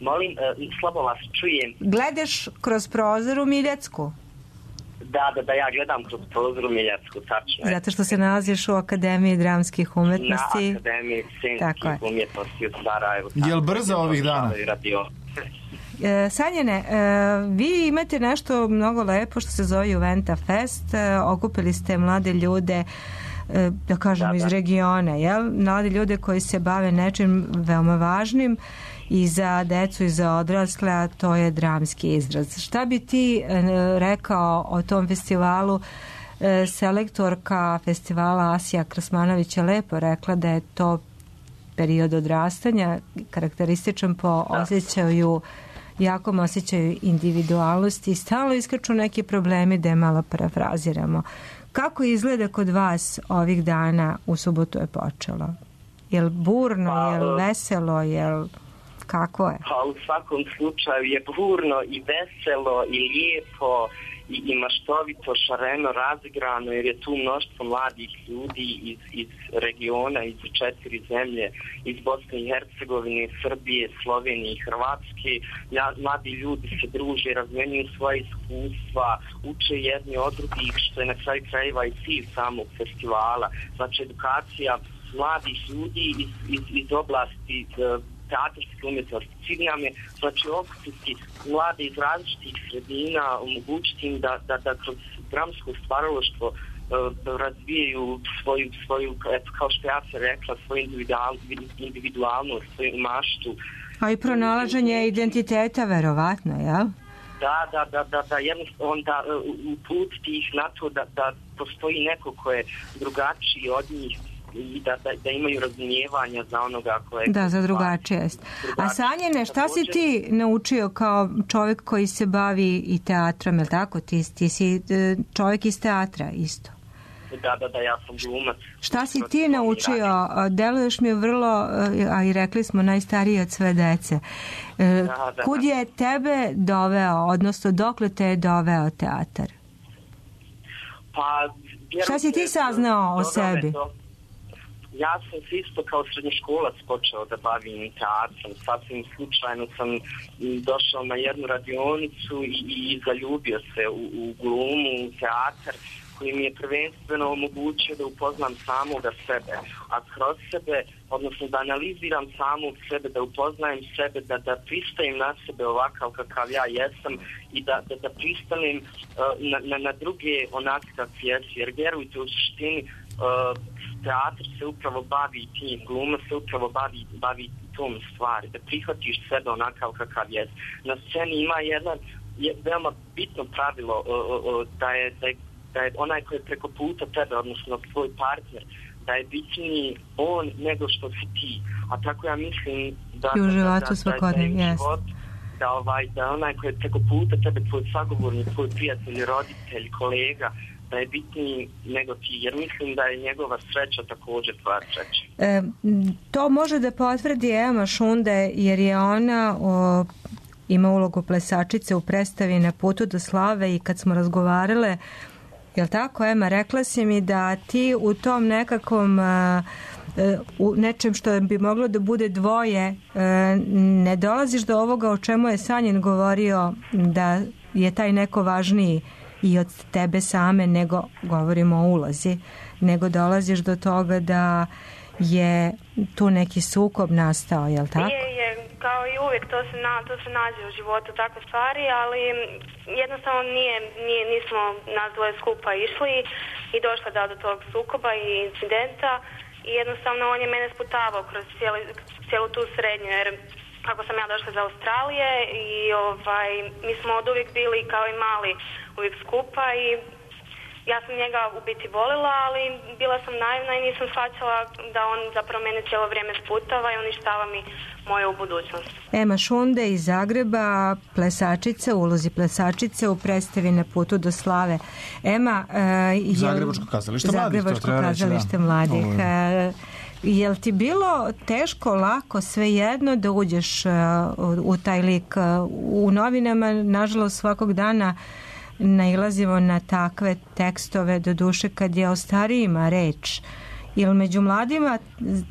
P: Molim, slabo vas čujem.
C: Gledaš kroz prozor u Miljacku?
P: Da, ja gledam kroz prozor u Miljacku, tačno.
C: Zato što se nalaziš u Akademiji dramskih umetnosti.
P: Na Akademiji scenskih umjetnosti u Sarajevu.
B: Jel brzo ovih dana?
C: Sanjene, vi imate nešto mnogo lepo što se zove Juventa Fest. Okupili ste mlade ljude, da kažemo, iz regiona, jel? Mlade ljude koji se bave nečim veoma važnim i za decu i za odrasle, a to je dramski izraz. Šta bi ti rekao o tom festivalu? Selektorka festivala Asija Krasmanović je lepo rekla da je to period odrastanja, karakterističan po osjećaju, jakom osjećaju individualnosti i stalno iskaču neki problemi, da je malo parafraziramo. Kako izgleda kod vas ovih dana? U subotu je počelo. Jel burno, jel veselo, jel kako je?
P: Pa u svakom slučaju je burno i veselo i lijepo i maštovito, šareno, razigrano, jer je tu mnoštvo mladih ljudi iz regiona, iz 4 zemlje, iz Bosne i Hercegovine, Srbije, Slovenije i Hrvatske. Mladi ljudi se druže, razmenjuju svoje iskustva, uče jedni od drugih, što je na kraju krajeva i cilj samog festivala. Znači, edukacija mladih ljudi iz oblasti teatarske umjetnosti. Cilj nam je, znači, okupiti mlade iz različitih sredina, omogućiti im da kroz dramsko stvaralaštvo razvijaju svoju, kao što ja se rekla, svoju individualnost, svoju maštu.
C: A i pronalaženje identiteta, verovatno, jel?
P: Da, jednostavno onda uputiti ih na to da postoji neko ko je drugačiji od njih, i da imaju razumijevanja za onoga koje...
C: Da, za drugačije. A Sanjine, šta si ti naučio kao čovjek koji se bavi i teatrom, je li tako? Ti si čovjek iz teatra isto.
P: Da, ja sam glumac.
C: Šta si ti naučio? Deluješ mi vrlo, a i rekli smo, najstariji od sve dece. Kud je tebe doveo, odnosno dokle te je doveo teatar?
P: Pa,
C: šta si ti saznao o sebi?
P: Ja sam se isto kao srednjoškolac počeo da bavim teatrom. Sasvim slučajno sam došao na jednu radionicu i zaljubio se u glumu, u teatar, koji mi je prvenstveno omogućio da upoznam samoga sebe, a kroz sebe, odnosno da analiziram samog sebe, da upoznajem sebe, da pristajem na sebe ovakav kakav ja jesam i da pristanem na druge onak kakvi jesu, jer vjerujte, u suštini teatr se upravo bavi tim, gluma se upravo bavi tom stvari, da prihvatiš sebe onakav kakav jesi. Na sceni ima je veoma bitno pravilo da je onaj koji je preko puta tebe, odnosno tvoj partner, da je bitniji on nego što si ti. A tako ja mislim da
C: u životu svakodnevno jest.
P: Da onaj koji je preko puta tebe, tvoj sagovornik, tvoj prijatelj, roditelj, kolega, da je bitniji nego ti, jer mislim da je njegova sreća također tvoja sreća.
C: To može da potvrdi Ema Šunde, jer je ona ima ulogu plesačice u predstavi Na putu do slave i kad smo razgovarale, jel tako, Ema, rekla si mi da ti u tom nekakvom u nečem što bi moglo da bude dvoje ne dolaziš do ovoga o čemu je Sanjin govorio, da je taj neko važniji i od tebe same, nego govorimo o ulozi, nego dolaziš do toga da je tu neki sukob nastao, jel tako?
Q: Je, kao i uvijek, to se nađe u životu takve stvari, ali jednostavno nismo nas dvoje skupa išli i došla do tog sukoba i incidenta i jednostavno on je mene sputavao kroz cijelu tu srednju, jer kako sam ja došla iz Australije i mi smo od uvijek bili kao i mali uvijek skupa i ja sam njega u biti volila, ali bila sam naivna i nisam shvaćala da on zapravo mene cijelo vrijeme sputava i uništava mi moju budućnost.
C: Ema Šunde iz Zagreba, plesačica, ulozi plesačice u predstavi Na putu do slave. Ema,
B: Zagrebačko kazalište mladih.
C: Jel ti bilo teško, lako, svejedno da uđeš u taj lik? U novinama, nažalost, svakog dana nailazimo na takve tekstove, do duše kad je o starijima reč. Ili među mladima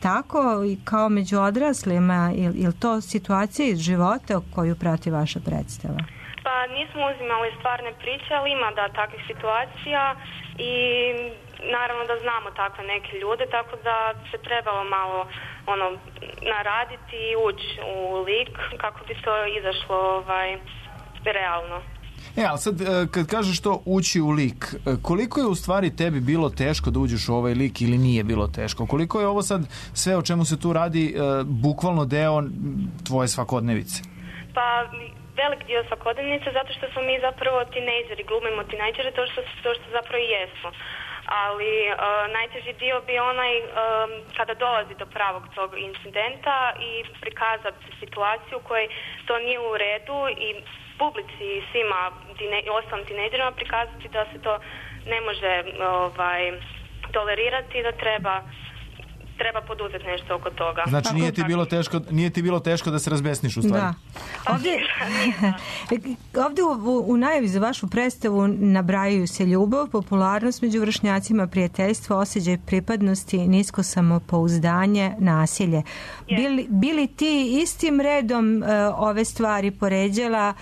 C: tako i kao među odraslima, ili to situacija iz života koju prati vaša predstava?
Q: Pa nismo uzimali stvarne priče, ali ima takvih situacija i naravno da znamo takve neke ljude, tako da se trebalo malo naraditi i ući u lik kako bi to izašlo realno.
B: Ali sad, kad kažeš to ući u lik, koliko je u stvari tebi bilo teško da uđeš u ovaj lik ili nije bilo teško? Koliko je ovo sad sve o čemu se tu radi bukvalno deo tvoje svakodnevice?
Q: Pa velik dio svakodnevnice, zato što smo mi zapravo tinejdžeri, glumimo tinejdžere, to što zapravo i jesmo. Ali najteži dio bi onaj kada dolazi do pravog tog incidenta i prikazati situaciju u kojoj to nije u redu i publici i svima ostalim tinejdžerima prikazati da se to ne može tolerirati i da treba poduzeti nešto oko toga.
B: Znači nije ti bilo teško da se razbesniš u stvari?
C: Da. Ovdje u najavi za vašu predstavu nabrajaju se ljubav, popularnost među vršnjacima, prijateljstvo, osjećaj pripadnosti, nisko samopouzdanje, nasilje. Bili ti istim redom ove stvari poređala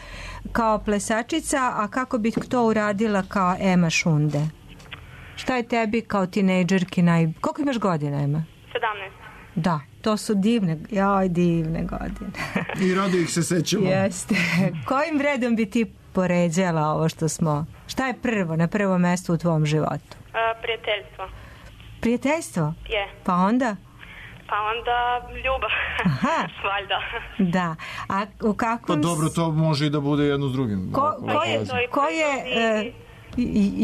C: kao plesačica, a kako bih to uradila kao Ema Šunde? Šta je tebi kao tinejdžerki Koliko imaš godina, Ema?
Q: 17.
C: Da, to su divne godine.
B: I rado ih se sećamo.
C: Jeste. Kojim redom bi ti poređala ovo što smo? Šta je na prvo mesto u tvom životu?
Q: Prijateljstvo.
C: Prijateljstvo?
Q: Je.
C: Pa onda?
Q: Pa onda ljubav.
C: Aha.
Q: Valjda.
C: Da. A u kakvom...
B: Pa dobro, to može i da bude jedno s drugim.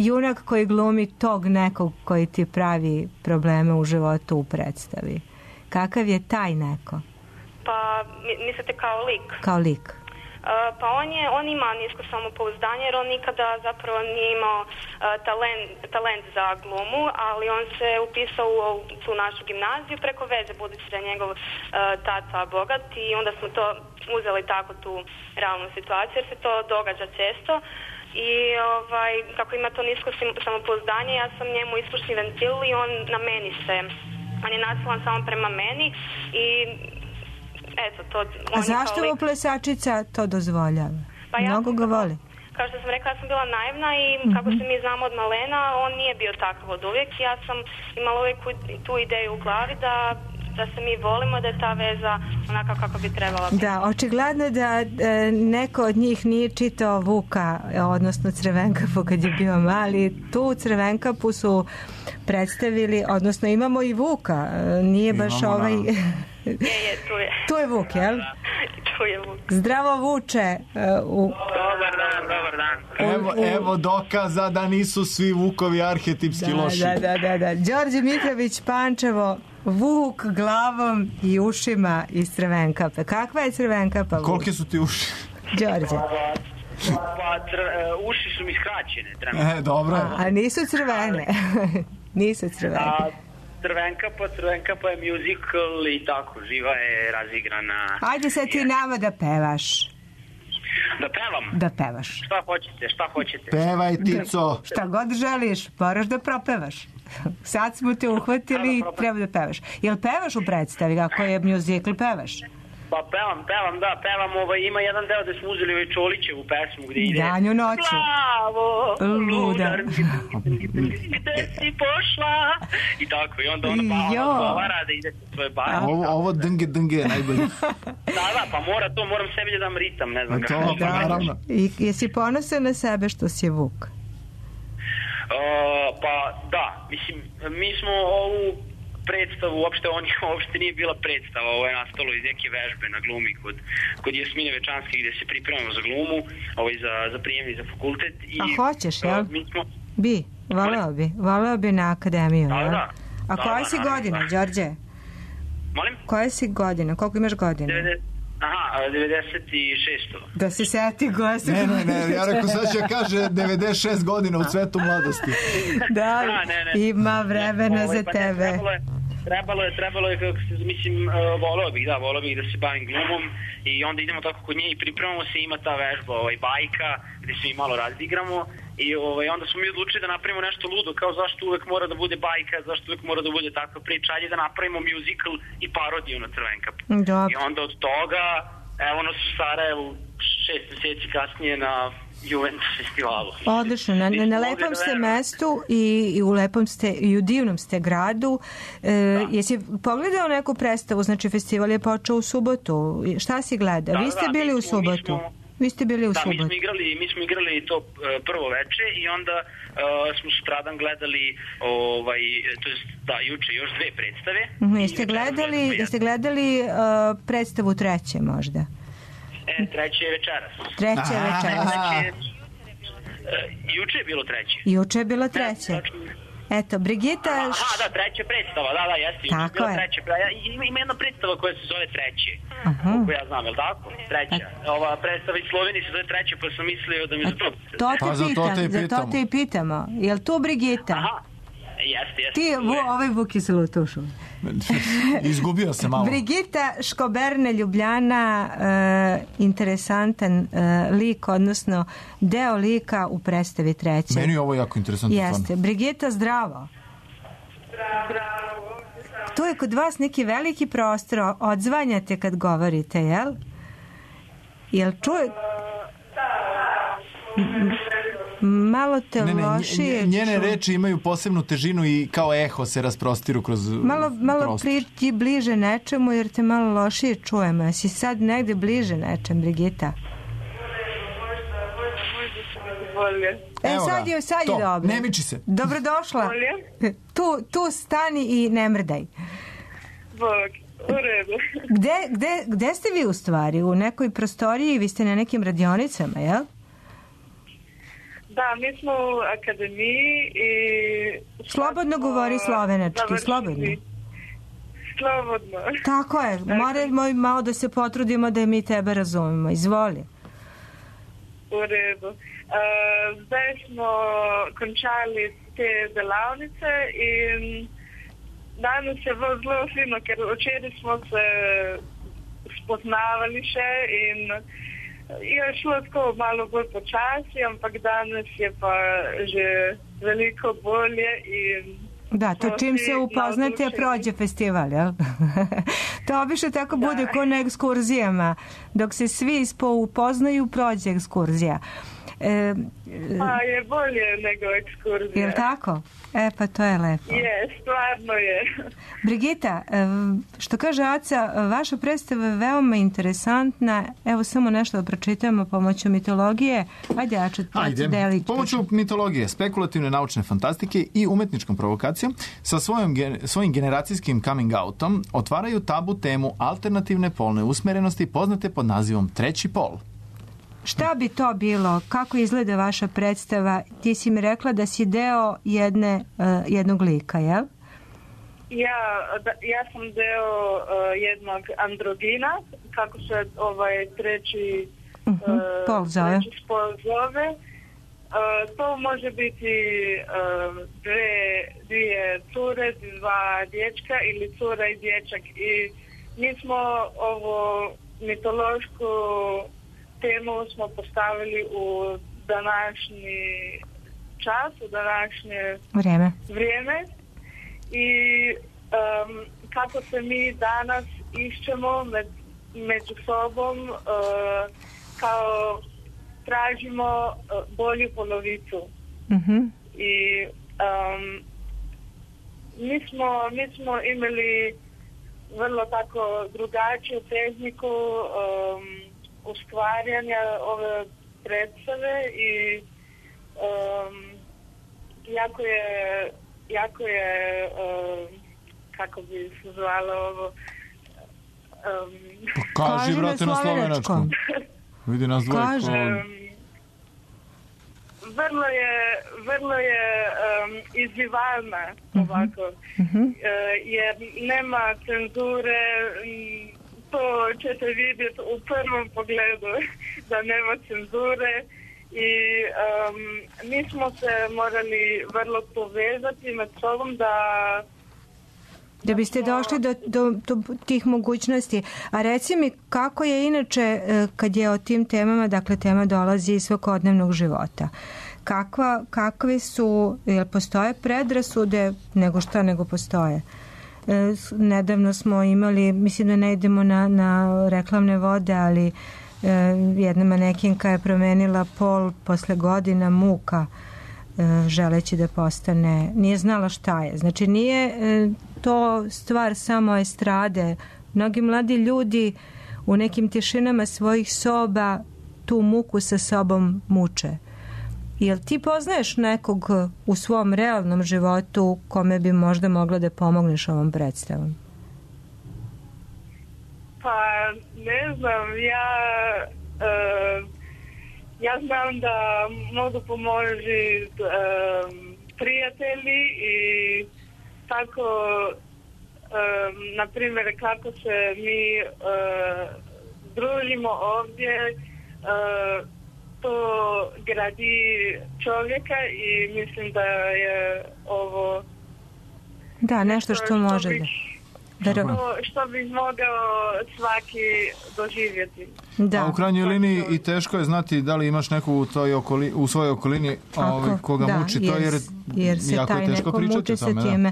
C: junak koji glumi tog nekog koji ti pravi probleme u životu u predstavi? Kakav je taj neko?
Q: Pa, mislite kao lik?
C: Kao lik.
Q: Pa on ima nisko samopouzdanje jer on nikada zapravo nije imao talent za glumu, ali on se upisao u tu našu gimnaziju preko veze, budući da je njegov tata bogat, i onda smo to uzeli tako tu realnu situaciju jer se to događa često. I kako ima to nisko samopouzdanje, ja sam njemu ispušni ventil i on na meni on je nasilan samo prema meni i eto, to...
C: A zašto mu plesačica to dozvoljava?
Q: Pa
C: mnogo ga voli.
Q: Kao što sam rekla, ja sam bila naivna i kako se mi znamo od malena, on nije bio takav od uvijek. Ja sam imala uvijek tu ideju u glavi da se mi volimo, da je ta veza onaka kako bi trebala biti.
C: Da, očigledno da neko od njih nije čitao Vuka, odnosno Crvenkapu kad je bio mali. Tu Crvenkapu su predstavili, odnosno imamo i Vuka, nije baš Tu je Vuk, jel?
Q: Tu je Vuk.
C: Zdravo, Vuče.
J: Dobar dan.
B: Evo dokaza da nisu svi Vukovi arhetipski loši.
C: Da. Đorđe Mitrović, Pančevo, Vuk glavom i ušima iz Crvenkape. Kakva je Crvenkapa, Vuk?
B: Kolike su ti uši?
C: Đorđe.
R: Uši su mi skraćene.
B: Dobro.
C: A nisu crvene. Nisu crvene.
R: Crvenkapa je musical i tako, živa je, razigrana.
C: Ajde sad ti nama da pevaš.
R: Da pevam?
C: Da pevaš.
R: Šta hoćete?
B: Pevaj, Tico.
C: Šta god želiš, moraš da propevaš. Sad smo te uhvatili i treba da pevaš. Jel pevaš u predstavi, ako je musical, pevaš?
R: Pa pevam, ima jedan deo da smo uzeli ovaj Čolićevu pesmu gde ide
C: Danju noću.
R: Plavo, ludar, gde si pošla? I tako, i onda ona odgovara da ide svoje bare.
B: Ovo dnge je najbolje.
R: Da, pa moram sebi da dam ritam, ne znam kako.
B: To, naravno.
C: I jesi ponosan na sebe što si Vuk?
R: Pa da, mislim, mi smo ovu predstavu, uopšte nije bila predstava, ovo je nastalo iz neke vežbe na glumi kod Jasmine Večanske gdje se pripremamo za glumu, za prijemni za fakultet.
C: A hoćeš, jel? Bi, voleo bi na akademiju, jel?
R: Da.
C: A koje si godine, Đorđe?
R: Molim?
C: Koje si godine, koliko imaš godine?
R: 96.
C: Da se seti godine.
B: Ne, ja rekao sad će kaže 96 godina u cvetu mladosti.
C: Da, ima vremena za tebe.
R: Trebalo je, mislim, voleo bih da se bavim glumom i onda idemo tako kod nje i pripremamo se, ima ta vežba, bajka, gdje se mi malo razdigramo i onda smo mi odlučili da napravimo nešto ludo, kao zašto uvek mora da bude bajka, zašto uvek mora da bude takva priča, ajde da napravimo musical i parodiju na Crvenkapu. I onda od toga, evo nas u Sarajevu 6 mjeseci kasnije na Juventus festivalu.
C: Odlično, na lepom ste mestu i u lepom ste i u divnom ste gradu. Jesi pogledao neku predstavu, znači festival je počeo u subotu, šta si gledao? Vi ste bili u subotu? Vi ste bili u subotu?
R: Mi smo igrali to prvo veče i onda smo sutradan gledali juče još dve predstave.
C: Jeste gledali predstavu treće možda?
R: Treće je večeras. Juče je bilo treće.
C: Juče je bilo treće. Eto, Brigita...
R: Da, treća predstava, jeste. Juče je bilo treće. Ima jedna predstava koja se zove Treće. Koliko ja znam, je li tako? Treća. Ova predstava iz Slovenije se zove Treće, pa sam mislio da mi za to...
C: Za to te i pitamo. Je li tu Brigita?
R: Jeste.
C: Ti, ovaj Vuk je se lutušao.
B: Izgubio se malo.
C: Brigita Škoberne, Ljubljana, interesantan lik, odnosno deo lika u predstavi treće.
B: Meni je ovo jako interesantno.
C: Jeste. Brigita, zdravo.
Q: Zdravo.
C: Tu je kod vas neki veliki prostor, odzvanjate kad govorite, jel? Jel čuje... Malo te lošije.
B: Njene reči imaju posebnu težinu i kao eho se rasprostiru kroz
C: malo priđi bliže nečemu jer te malo lošije čujemo. Jesi sad negde bliže nečem, Brigita? Sad je dobro.
B: Ne miči se.
C: Dobrodošla. Tu stani i ne mrdaj.
Q: U redu.
C: Gde ste vi u stvari? U nekoj prostoriji? Vi ste na nekim radionicama, jel?
S: Da, mi smo u akademiji i...
C: Slobodno govori slovenački, slobodno.
S: Slobodno.
C: Tako je, moramo malo da se potrudimo da mi tebe razumemo. Izvoli.
S: U redu. Zdaj smo končali te delavnice in danes je bilo zelo fino, ker včeraj smo se spoznavali še in je šlo tako malo bolj počasi, ampak danes je pa že veliko bolje in
C: da, to čim se upoznate prođe festival, jel? To obično tako bude ko na ekskurzijama. Dok se svi upoznaju, prođe ekskurzija.
S: Je bolje nego ekskurzija.
C: Jel tako? Pa to je lepo.
S: Je, stvarno je.
C: Brigita, što kaže Aca, vaša predstava je veoma interesantna. Evo samo nešto da pročitamo pomoću mitologije. Ajde, Aca, delić.
B: Pomoću mitologije, spekulativne naučne fantastike i umetničkom provokacijom sa svojim generacijskim coming outom otvaraju tabu temu alternativne polne usmerenosti poznate pod nazivom treći pol.
C: Šta bi to bilo? Kako izgleda vaša predstava? Ti si mi rekla da si deo jednog lika, jel?
S: Ja sam deo jednog androgina, kako se treći
C: pol zove.
S: To može biti dvije cure, dva dječka ili cura i dječak. I mi smo ovo mitološku temu smo postavili u današnji čas, u današnje vrijeme i kako se mi danas išćemo među sobom, kao tražimo bolju polovicu. I mi smo imali vrlo tako drugačiju tehniku ustvarjanja ove predstave i jako je kako bi se zvalo ovo
B: kaži brate na slovenačkom. Vidi nas dvojko.
S: Vrlo je izzivalna ovako, jer nema cenzure. To ćete vidjeti u prvom pogledu da nema cenzure i mi smo se morali vrlo povezati med sobom
C: da biste došli do tih mogućnosti. A reci mi kako je inače kad je o tim temama, dakle tema dolazi iz svakodnevnog života. Kakve su, jel postoje predrasude nego postoje? Nedavno smo imali, mislim da ne idemo na reklamne vode, ali jedna manekinka je promenila pol posle godina muka želeći da postane, nije znala šta je. Znači nije to stvar samo estrade. Mnogi mladi ljudi u nekim tišinama svojih soba tu muku sa sobom muče. Jel ti poznaješ nekog u svom realnom životu kome bi možda mogla da pomogneš ovom predstavom?
S: Pa ne znam, ja znam da mogu pomoći prijatelji i tako na primjer kako se mi družimo ovdje, to gradi čovjeka i mislim da je ovo
C: da, nešto što može
S: što bi mogao svaki doživjeti.
B: Da. A u krajnjoj liniji i teško je znati da li imaš neku u svojoj okolini koga muči to, jer
C: se
B: jako
C: taj
B: je teško
C: neko muči sa time.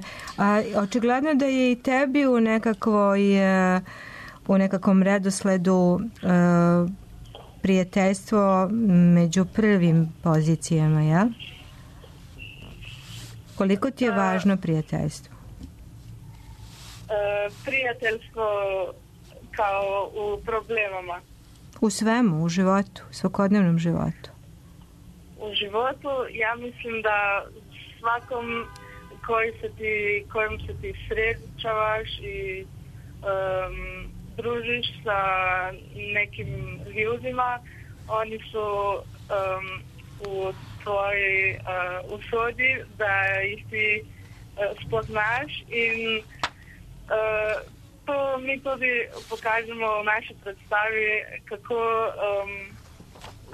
C: Očigledno da je i tebi u nekakvom redosledu prijateljstvo među prvim pozicijama, jel? Koliko ti je važno prijateljstvo?
S: Prijateljstvo kao u problemama.
C: U svemu, u životu, u svakodnevnom životu.
S: U životu, ja mislim da svakom kojim se ti srećavaš i družiš sa nekim ljudima, oni su u tvojoj usodi da ih ti spoznaš i to mi tudi pokažemo v naši predstavi, kako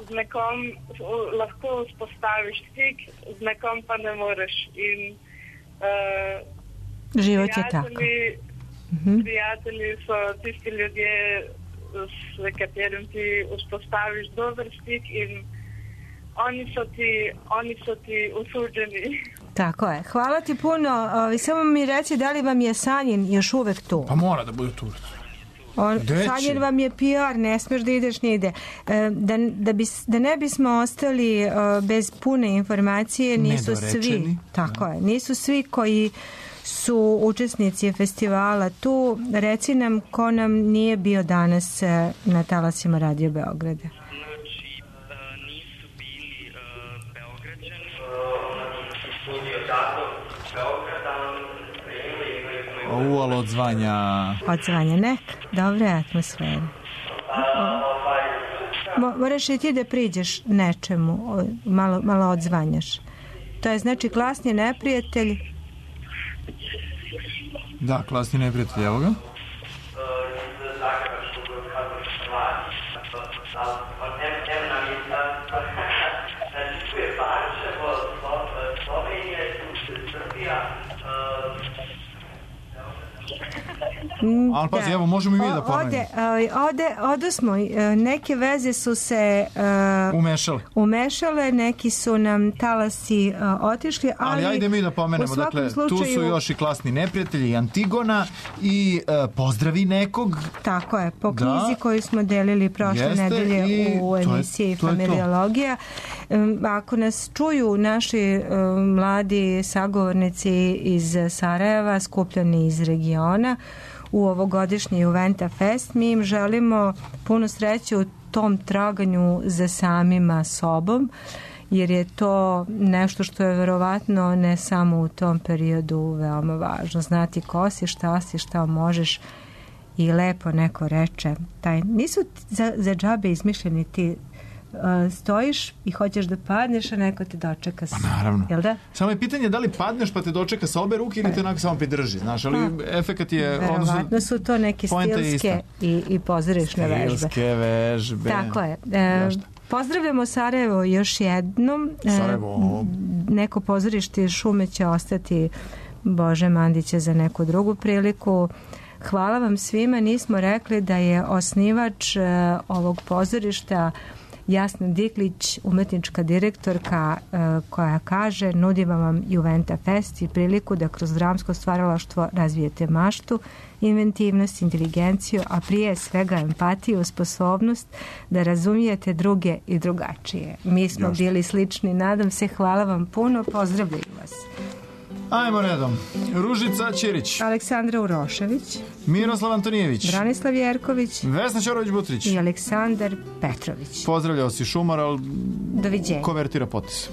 S: z nekom lahko vzpostaviš stik, z nekom pa ne moreš. In
C: život je tako.
S: Prijatelji so tisti ljudje, s katerim ti vzpostaviš dober stik in oni so ti usuđeni.
C: Tako je. Hvala ti puno. Samo mi reci da li vam je Sanjin još uvek tu?
B: Pa mora da bude tu.
C: Sanjin vam je PR, ne smiješ da ideš nigde. Da ne bismo ostali bez pune informacije, nisu svi, tako je, nisu svi koji su učesnici festivala tu. Reci nam ko nam nije bio danas na talasima Radio Beograda.
B: Ali odzvanja.
C: Odzvanja, nek, dobre atmosfere. Moraš i ti da priđeš nečemu, malo odzvanjaš. To je znači klasni neprijatelj.
B: Da, klasni neprijatelj, evo ga. Ali pazi, evo, možemo i mi da pomenemo.
C: Odosmo, neke veze su se umešale, neki su nam talasi otišli, ali
B: ajde mi da pomenemo, dakle, tu su još i klasni neprijatelji, i Antigona, i Pozdravi nekog.
C: Tako je, po knjizi koju smo delili prošle nedelje u emisiji Familiologija. Ako nas čuju naši mladi sagovornici iz Sarajeva, skupljani iz regiona, u ovogodišnji Juventa Fest, mi im želimo puno sreće u tom traganju za samima sobom, jer je to nešto što je verovatno ne samo u tom periodu veoma važno. Znati ko si, šta možeš i lepo neko reče. Nisu za džabe izmišljeni ti stojiš i hoćeš da padneš, a neko te dočeka.
B: Pa naravno.
C: Jel da?
B: Samo je pitanje da li padneš pa te dočeka sa obe ruke ili te onako samo pridrži, znaš, ali efekat je...
C: Verovatno su to neke stilske i pozorišne vežbe.
B: Stilske vežbe.
C: Tako je. Pozdravljamo Sarajevo još jednom.
B: Sarajevo.
C: Neko pozorište Šume će ostati Bože Mandića za neku drugu priliku. Hvala vam svima. Nismo rekli da je osnivač ovog pozorišta Jasna Diklić, umetnička direktorka, koja kaže: nudimo vam Juventa Fest i priliku da kroz dramsko stvaralaštvo razvijete maštu, inventivnost, inteligenciju, a prije svega empatiju, sposobnost da razumijete druge i drugačije. Mi smo bili slični, nadam se. Hvala vam puno, pozdravljaju vas.
B: Ajmo redom. Ružica Ćirić,
C: Aleksandra Urošević,
B: Miroslav Antonijević,
C: Branislav Jerković,
B: Vesna Ćorović-Butrić
C: i Aleksandar Petrović.
B: Pozdravljao si Šumar, ali
C: doviđenja.
B: Konvertira potpis.